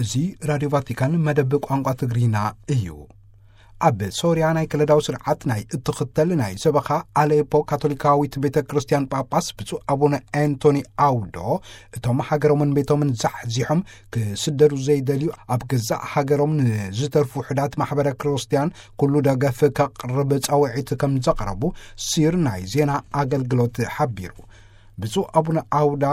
እዚ ራድዮ ቫቲካን መደብ ቋንቋ ትግርኛ እዩ። ኣብ ሶርያ ናይ ከለዳዊ ስርዓት ናይ እትኽተል ናይ ሰበኻ ኣሌፖ ካቶሊካዊት ቤተ ክርስቲያን ጳጳስ ብፁዕ ኣቡነ ኣንቶኒ ኣውዶ፣ እቶም ሃገሮምን ቤቶምን ዛሕዚሖም ክስደዱ ዘይደልዩ፣ ኣብ ገዛእ ሃገሮም ንዝተርፉ ውሑዳት ማሕበረ ክርስቲያን ኩሉ ደገፍ ከቕርብ ጻውዒት ከም ዘቕረቡ ሲር ናይ ዜና ኣገልግሎት ሓቢሩ። ብፁዕ ኣቡነ ኣውዳ፣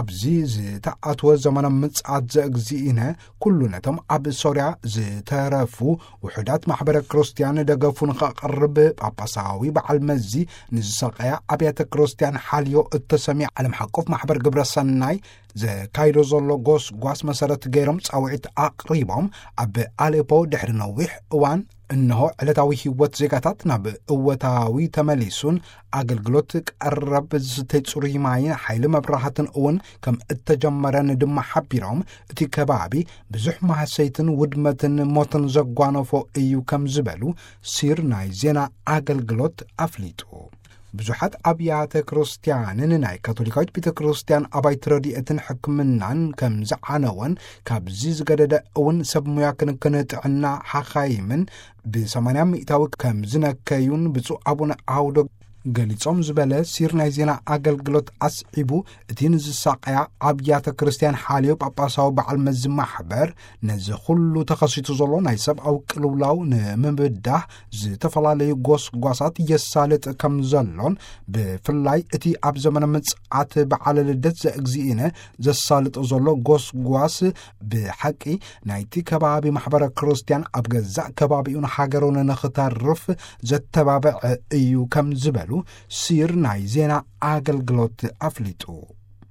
ኣብዚ ዝተኣትወ ዘመነ ምጽኣት ዘእግዚእነ፣ ኩሉ ነቶም ኣብ ሶርያ ዝተረፉ ውሑዳት ማሕበረ ክርስቲያን ደገፉ ንኸቕርብ፣ ጳጳሳዊ በዓል መዚ ንዝሰቀያ ኣብያተ ክርስቲያን ሓልዮ እተሰምየ ዓለም ሓቆፍ ማሕበር ግብረ ሰናይ ዘካይዶ ዘሎ ጎስጓስ መሰረት ገይሮም ጻውዒት ኣቕሪቦም፣ ኣብ ኣሌፖ ድሕሪ ነዊሕ እዋን እንሆ ዕለታዊ ህይወት ዜጋታት ናብ እወታዊ ተመሊሱን ኣገልግሎት ቀረብ ዝስተይ ጽሩይ ማይን ሓይሊ መብራህትን እውን ከም እተጀመረን ድማ ሓቢሮም፣ እቲ ከባቢ ብዙሕ ማህሰይትን ውድመትን ሞትን ዘጓነፎ እዩ ከም ዝበሉ ሲር ናይ ዜና ኣገልግሎት ኣፍሊጡ። ብዙሓት ኣብያተ ክርስቲያንን ናይ ካቶሊካዊት ቤተ ክርስቲያን ኣባይቲ ረድኤትን ሕክምናን ከም ዝዓነወን፣ ካብዚ ዝገደደ እውን ሰብ ሙያ ክንክን ጥዕና ሓኻይምን ብ80% ከም ዝነከዩን ብፁዕ ኣቡነ ኣውዶ ገሊጾም ዝበለ ሲር ናይ ዜና ኣገልግሎት ኣስዒቡ፣ እቲ ንዝሳቀያ ኣብያተ ክርስቲያን ሓልዮ ጳጳሳዊ በዓል መዚ ማሕበር፣ ነዚ ኩሉ ተኸሲቱ ዘሎ ናይ ሰብኣዊ ቅልውላው ንምብዳህ ዝተፈላለዩ ጎስጓሳት የሳልጥ ከም ዘሎን፣ ብፍላይ እቲ ኣብ ዘመነ ምጽኣት በዓለ ልደት ዘእግዚእነ ዘሳልጦ ዘሎ ጎስጓስ ብሓቂ ናይቲ ከባቢ ማሕበረ ክርስቲያን ኣብ ገዛእ ከባቢኡን ሃገሩን ንኽተርፍ ዘተባብዕ እዩ ከም ዝበሉ ሲር ናይ ዜና ኣገልግሎት ኣፍሊጡ።